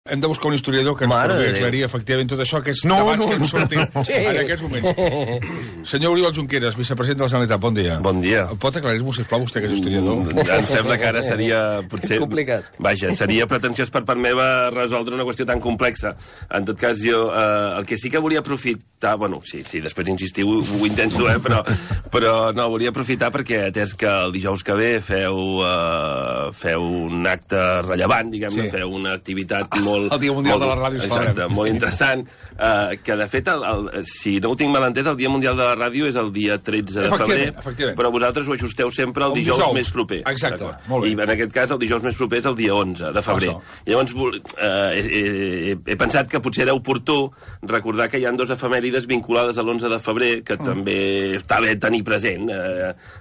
Hem de buscar un historiador que ens pugui aclarir efectivament tot això, aquests debats que han sortit en aquests moments. Senyor Oriol Junqueras, vicepresident de la Generalitat, bon dia. Bon dia. Pot aclarir-m'ho, sisplau, vostè que és historiador? Em sembla que ara seria, potser... complicat. Vaja, seria pretensiós per part meva resoldre una qüestió tan complexa. En tot cas, jo el que sí que volia aprofitar... Bueno, sí, després insistiu, ho intento, però no, volia aprofitar perquè, atès que el dijous que ve feu un acte rellevant, diguem-ne, feu una activitat molt... El Dia Mundial de la Ràdio, exacte, molt interessant, que de fet, si no ho tinc mal entès, el Dia Mundial de la Ràdio és el dia 13 de febrer, però vosaltres ho ajusteu sempre al dijous més proper. Exacte, molt bé. I en aquest cas el dijous més proper és el dia 11 de febrer. I llavors he pensat que potser era oportú recordar que hi ha dues efemèrides vinculades a l'11 de febrer que també està bé tenir present,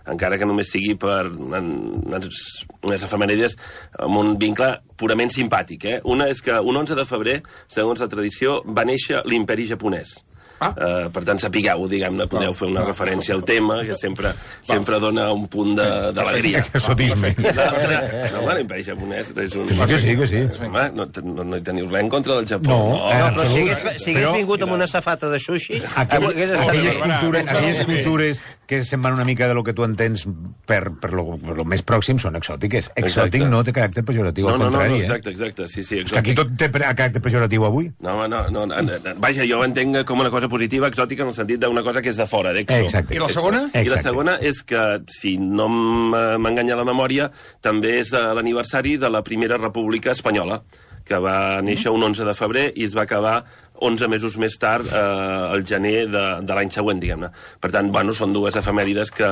encara que només sigui per unes efemèrides amb un vincle purament simpàtic. Una és que un 11 de febrer, segons la tradició, va néixer l'imperi japonès. Per tant, sapigueu, diguem-ne, podeu fer una referència al tema, que sempre dona un punt d'alegria. Exotisme. No, l'imperi japonès és un... Que sí. Home, no hi teniu res en contra del Japó. No, però si hagués vingut amb una safata de sushi, hagués estat... Aquelles cultures que se'n van una mica de lo que tu entens per lo més pròxim són exòtiques. Exòtic no té caràcter pejoratiu, al contrari. No, exacte, sí, exòtic. Que aquí tot té caràcter pejoratiu avui. No, vaja, jo ho entenc com una cosa positiva, exòtica, en el sentit d'una cosa que és de fora, d'exo. I la segona? I la segona és que, si no m'enganya la memòria, també és l'aniversari de la Primera República Espanyola, que va néixer un 11 de febrer i es va acabar 11 mesos més tard, el gener de l'any següent, diguem-ne. Per tant, són dues efemèrides que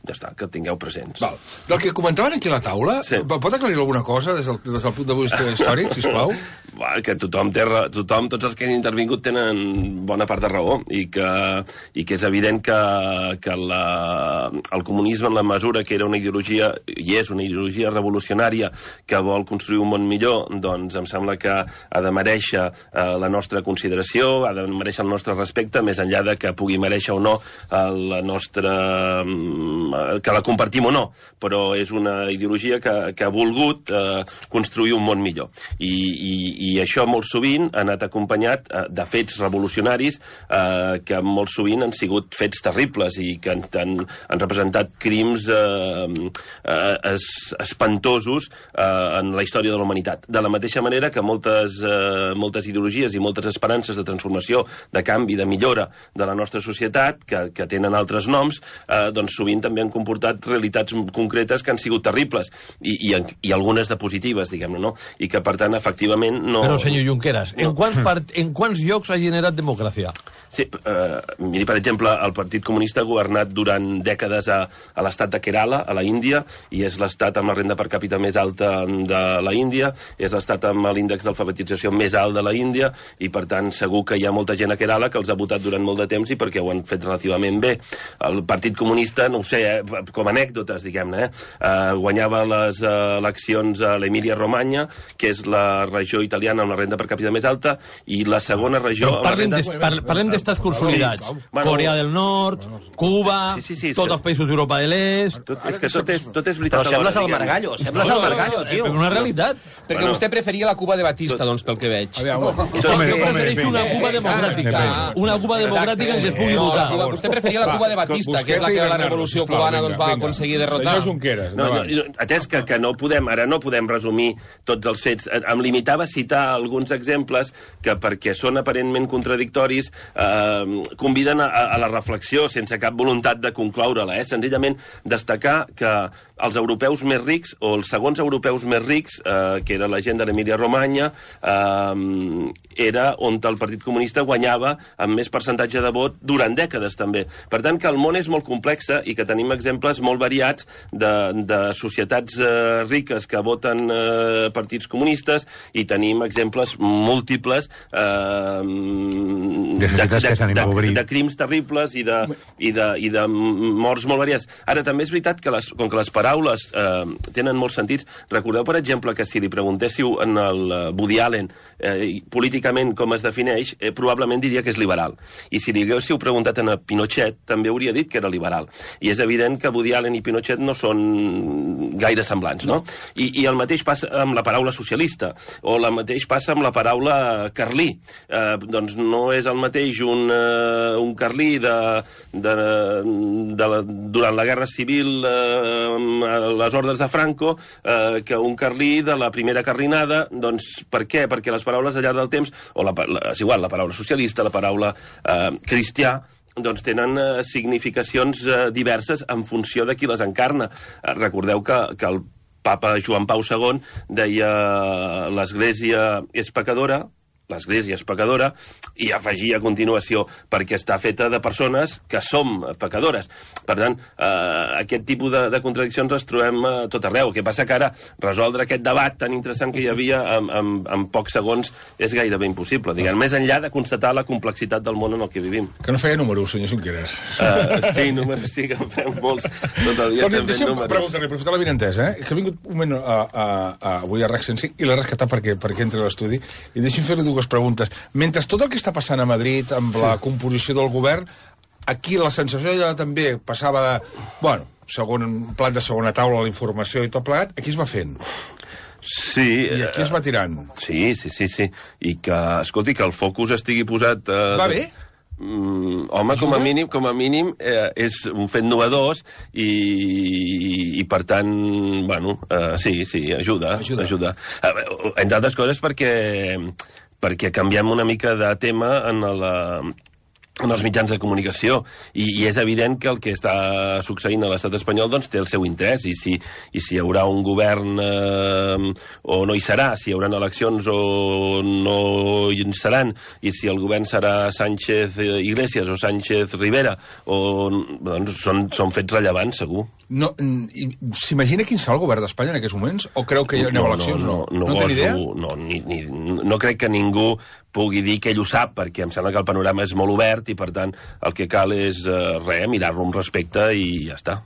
ja està, que tingueu presents. Val. Del que comentaven aquí a la taula, pot aclarir alguna cosa des del punt de vista històric, sisplau? Que tothom, tots els que han intervingut tenen bona part de raó i que és evident que el comunisme, en la mesura que era una ideologia, i és una ideologia revolucionària que vol construir un món millor, doncs em sembla que ha de merèixer la nostra consideració, ha de merèixer el nostre respecte, més enllà de que pugui merèixer o no la nostra... que la compartim o no, però és una ideologia que ha volgut construir un món millor. I això molt sovint ha anat acompanyat de fets revolucionaris que molt sovint han sigut fets terribles i que han representat crims espantosos en la història de la humanitat. De la mateixa manera que moltes ideologies i moltes esperances de transformació, de canvi, de millora de la nostra societat, que tenen altres noms, doncs sovint també han comportat realitats concretes que han sigut terribles i algunes de positives, diguem-ne, no? I que, per tant, efectivament, no... Però, senyor Junqueras, en quants llocs ha generat democràcia? Sí, miri, per exemple, el Partit Comunista ha governat durant dècades a l'estat de Kerala, a la Índia, i és l'estat amb la renda per càpita més alta de la Índia, és l'estat amb l'índex d'alfabetització més alt de la Índia, i, per tant, segur que hi ha molta gent a Kerala que els ha votat durant molt de temps i perquè ho han fet relativament bé. El Partit Comunista, no ho sé, com a anècdotes, diguem-ne, guanyava les eleccions a l'Emília-Romanya, que és la regió italiana amb la renda per càpita més alta, i la segona regió... Parlem d'estats consolidats. Corea del Nord, Cuba, tots els països d'Europa de l'Est... És que tot és veritat. Però sembles el Margallo, tio. Una realitat. Perquè vostè preferia la Cuba de Batista, doncs, pel que veig. Jo prefereixo una Cuba democràtica. Una Cuba democràtica en què es pugui votar. Vostè preferia la Cuba de Batista, que és la que la revolució cubana va aconseguir derrotar. Senyor Junqueras. Atès que ara no podem resumir tots els fets, em limitava a citar alguns exemples que, perquè són aparentment contradictoris, conviden a la reflexió sense cap voluntat de concloure-la. Senzillament destacar que els europeus més rics, o els segons europeus més rics, que era la gent de l'Emília-Romanya, era on el Partit Comunista guanyava amb més percentatge de vot durant dècades, també. Per tant, que el món és molt complex i que tenim exemples molt variats de societats riques que voten partits comunistes, i tenim exemples múltiples de crims terribles i de morts molt variats. Ara, també és veritat que com que les paraules tenen molts sentits, recordeu, per exemple, que si li preguntéssiu en el Woody Allen políticament com es defineix, probablement diria que és liberal. I si li haguéssiu preguntat a Pinochet, també hauria dit que era liberal. I és evident evident que Woody Allen i Pinochet no són gaire semblants, no? I el mateix passa amb la paraula socialista, o el mateix passa amb la paraula carlí. Doncs no és el mateix un carlí durant la Guerra Civil a les ordres de Franco que un carlí de la primera carlinada. Doncs per què? Perquè les paraules al llarg del temps, o és igual, la paraula socialista, la paraula cristià, doncs tenen significacions diverses en funció de qui les encarna. Recordeu que el papa Joan Pau II deia l'Església és pecadora, i afegia a continuació perquè està feta de persones que som pecadores. Per tant, aquest tipus de contradiccions les trobem a tot arreu. El que passa que ara resoldre aquest debat tan interessant que hi havia en pocs segons és gairebé impossible, diguem, més enllà de constatar la complexitat del món en el que vivim. Que no feia números, senyor Junqueras. Sí, números sí, que en fem molts. Tot el dia estem fent números. Pregunta-li, aprofitar la vinentesa, que ha vingut un moment avui a RAC 105 i l'he rescatat perquè entri a l'estudi, i deixi'm fer-li dues preguntes. Mentre tot el que està passant a Madrid amb la composició del govern, aquí la sensació ja també passava de, bueno, plat de segona taula, la informació i tot plegat, aquí es va fent. Sí. I aquí es va tirant. Sí. I que, escolti, que el focus estigui posat... Va bé? Home, com a mínim és un fet novedós i per tant, bueno, sí, ajuda. Entre altres coses perquè canviem una mica de tema en els mitjans de comunicació, i és evident que el que està succeint a l'estat espanyol doncs té el seu interès, i si hi haurà un govern o no hi serà, si hi haurà eleccions o no hi seran, i si el govern serà Sánchez Iglesias o Sánchez Rivera, doncs són fets rellevants, segur. S'imagina quin serà el govern d'Espanya en aquests moments? O creu que hi ha eleccions? No té idea? No crec que ningú pugui dir que ell ho sap, perquè em sembla que el panorama és molt obert i, per tant, el que cal és mirar-lo amb respecte i ja està.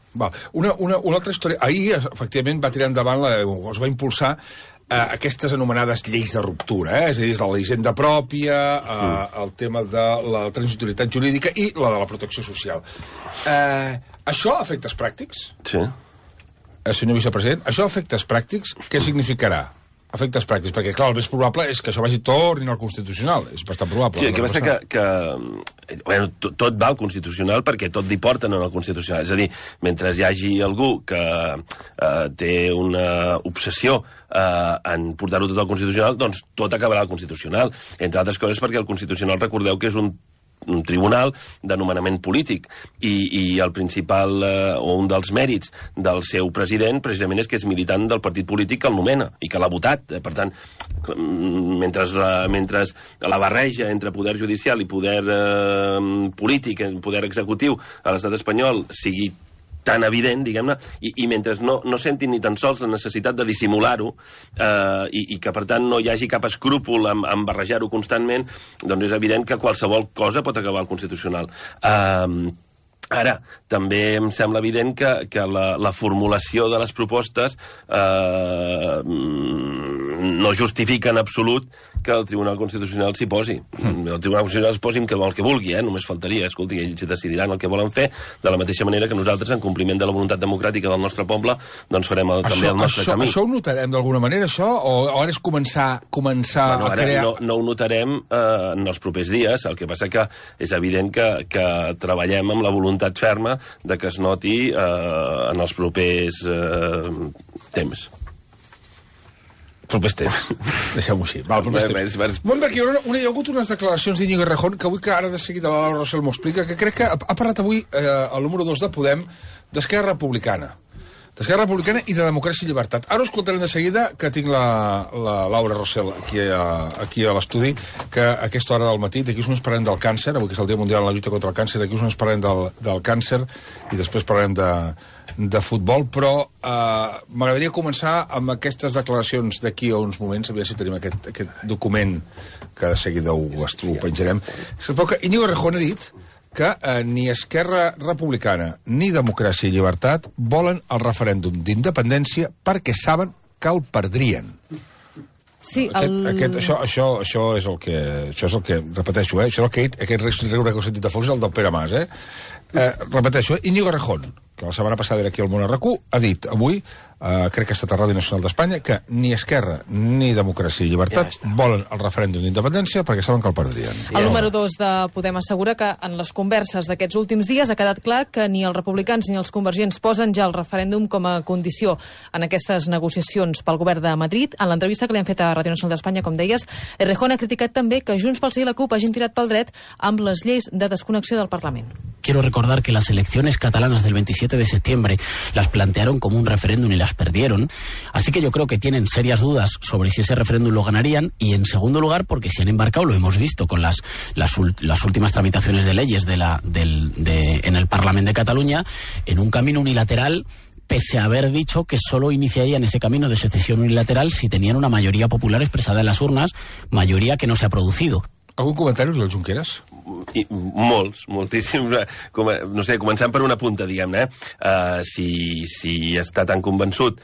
Una altra història. Ahir, efectivament, va tirar endavant, es va impulsar aquestes anomenades lleis de ruptura, és a dir, la hisenda pròpia, el tema de la transitorietat jurídica i la de la protecció social. Això a efectes pràctics? Sí. Senyor vicepresident, això a efectes pràctics, què significarà? Efectes pràctics, perquè, clar, el més probable és que això vagi tornin al Constitucional. És bastant probable. Sí, el que passa que bueno, tot va al Constitucional perquè tot li porten al Constitucional. És a dir, mentre hi hagi algú que té una obsessió en portar-ho tot al Constitucional, doncs tot acabarà al Constitucional. Entre altres coses perquè el Constitucional, recordeu que és un tribunal de nomenament polític i el principal o un dels mèrits del seu president precisament és que és militant del partit polític que el nomena i que l'ha votat. Per tant, mentre la barreja entre poder judicial i poder polític, poder executiu a l'estat espanyol sigui tan evident, diguem-ne, i mentre no sentin ni tan sols la necessitat de dissimular-ho i que, per tant, no hi hagi cap escrúpol en barrejar-ho constantment, doncs és evident que qualsevol cosa pot acabar al Constitucional. Ara, també em sembla evident que la formulació de les propostes no justifica en absolut que el Tribunal Constitucional s'hi posi. El Tribunal Constitucional es posi el que vulgui, només faltaria. Escolti, ells decidiran el que volen fer, de la mateixa manera que nosaltres, en compliment de la voluntat democràtica del nostre poble, doncs farem també el nostre camí. Això ho notarem d'alguna manera, això? O ara és començar a crear... No ho notarem en els propers dies, el que passa que és evident que treballem amb la voluntat ferma de que es noti en els propers temps. Propers temps. Deixem-ho així. Perquè hi ha hagut unes declaracions d'Iñigo Errejón que avui, que ara de seguida la Laura Rossell m'ho explica, que crec que ha parlat avui el número 2 de Podem d'Esquerra Republicana. D'Esquerra Republicana i de Democràcia i Llibertat. Ara us escoltarem de seguida, que tinc la Laura Rossell aquí a l'estudi, que a aquesta hora del matí, d'aquí uns parlarem del càncer, avui que és el Dia Mundial en la lluita contra el càncer, d'aquí uns parlarem del càncer i després parlarem de futbol, però m'agradaria començar amb aquestes declaracions d'aquí a uns moments, a veure si tenim aquest document que de seguida ho penjarem. Però que Iñigo Errejón ha dit que ni Esquerra Republicana ni Democràcia i Llibertat volen el referèndum d'independència perquè saben que el perdrien. Sí, això és el que repeteixo, això és el que he dit, aquest riure que heu sentit de fons és el del Pere Mas, repeteixo, Iñigo Errejón, que la setmana passada era aquí al Món RQ, ha dit avui, crec que ha estat a Ràdio Nacional d'Espanya, que ni Esquerra ni Democràcia i Llibertat volen el referèndum d'independència perquè saben que el perdrien. El número 2 de Podem assegura que en les converses d'aquests últims dies ha quedat clar que ni els republicans ni els convergents posen ja el referèndum com a condició en aquestes negociacions pel govern de Madrid. En l'entrevista que li han fet a Ràdio Nacional d'Espanya, com deies, Errejón ha criticat també que Junts pel Sí i la CUP hagin tirat pel dret amb les lleis de desconnexió del Parlament. Quiero recordar que las elecciones catalanas del 27 de septiembre las plantearon como un referéndum y las perdieron. Así que yo creo que tienen serias dudas sobre si ese referéndum lo ganarían. Y en segundo lugar, porque se han embarcado, lo hemos visto con las últimas tramitaciones de leyes en el Parlamento de Cataluña, en un camino unilateral, pese a haber dicho que solo iniciarían ese camino de secesión unilateral si tenían una mayoría popular expresada en las urnas, mayoría que no se ha producido. Algun comentari, Oriol Junqueras? Moltíssims. No sé, començant per una punta, diguem-ne. Si està tan convençut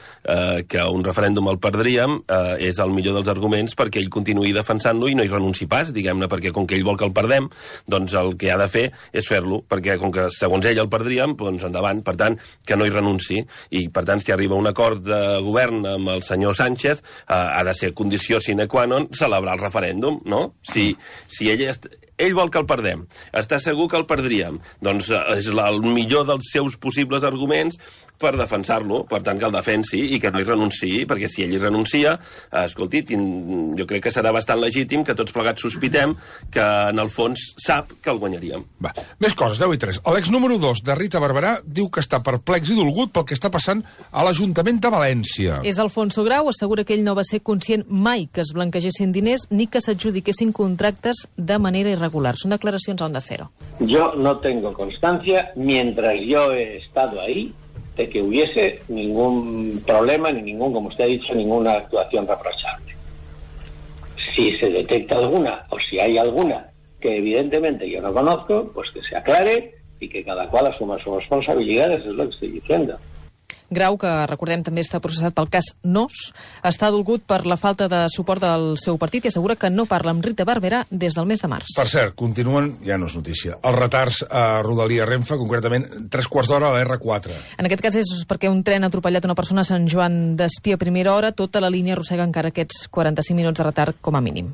que un referèndum el perdríem, és el millor dels arguments perquè ell continuï defensant-lo i no hi renunci pas, diguem-ne, perquè com que ell vol que el perdem, doncs el que ha de fer és fer-lo, perquè com que segons ell el perdríem, doncs endavant, per tant, que no hi renunci. I, per tant, si arriba un acord de govern amb el senyor Sánchez, ha de ser condició sine qua non celebrar el referèndum, no? Si ell vol que el perdem, està segur que el perdríem, doncs és el millor dels seus possibles arguments per defensar-lo, per tant que el defensi i que no hi renunciï, perquè si ell hi renuncia, escolti, jo crec que serà bastant legítim que tots plegats sospitem que en el fons sap que el guanyaríem. Va, més coses, 10:03. L'ex número 2 de Rita Barberà diu que està perplex i dolgut pel que està passant a l'Ajuntament de València. És Alfonso Grau, assegura que ell no va ser conscient mai que es blanquegessin diners ni que s'adjudiquessin contractes de manera irregular. Són declaracions a Onda Cero. Yo no tengo constancia, mientras yo he estado ahí, de que hubiese ningún problema, ni ningún, como usted ha dicho, ninguna actuación reprochable. Si se detecta alguna, o si hay alguna que evidentemente yo no conozco, pues que se aclare y que cada cual asuma sus responsabilidades, es lo que estoy diciendo. Grau, que recordem també està processat pel cas NOS, està dolgut per la falta de suport del seu partit i assegura que no parla amb Rita Barberà des del mes de març. Per cert, continuen, ja no és notícia, els retards a Rodalia Renfe, concretament 3/4 d'hora a la R4. En aquest cas és perquè un tren ha atropellat una persona a Sant Joan d'Espí a primera hora, tota la línia arrossega encara aquests 45 minuts de retard com a mínim.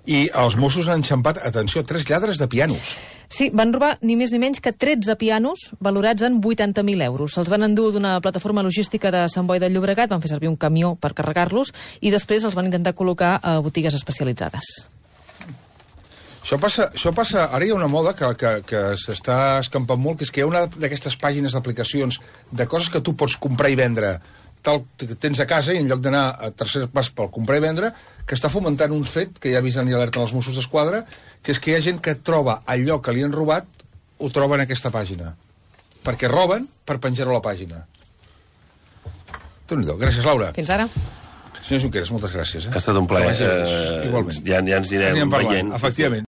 I els Mossos han enxampat, atenció, 3 lladres de pianos. Sí, van robar ni més ni menys que 13 pianos valorats en 80.000 euros. Se'ls van endur d'una plataforma logística de Sant Boi de Llobregat, van fer servir un camió per carregar-los i després els van intentar col·locar a botigues especialitzades. Això passa, ara hi ha una moda que s'està escampant molt, que és que hi ha una d'aquestes pàgines d'aplicacions de coses que tu pots comprar i vendre tal que tens a casa i en lloc d'anar a terceres parts pel comprar i vendre, que està fomentant un fet que ja avisen i alerten els Mossos d'Esquadra, que és que hi ha gent que troba allò que li han robat, ho troba en aquesta pàgina. Perquè roben per penjar-ho a la pàgina. Déu-n'hi-do. Gràcies, Laura. Fins ara. Senyor Junqueras, moltes gràcies. Ha estat un plaer. Igualment. Ja ens anirem veient. Efectivament.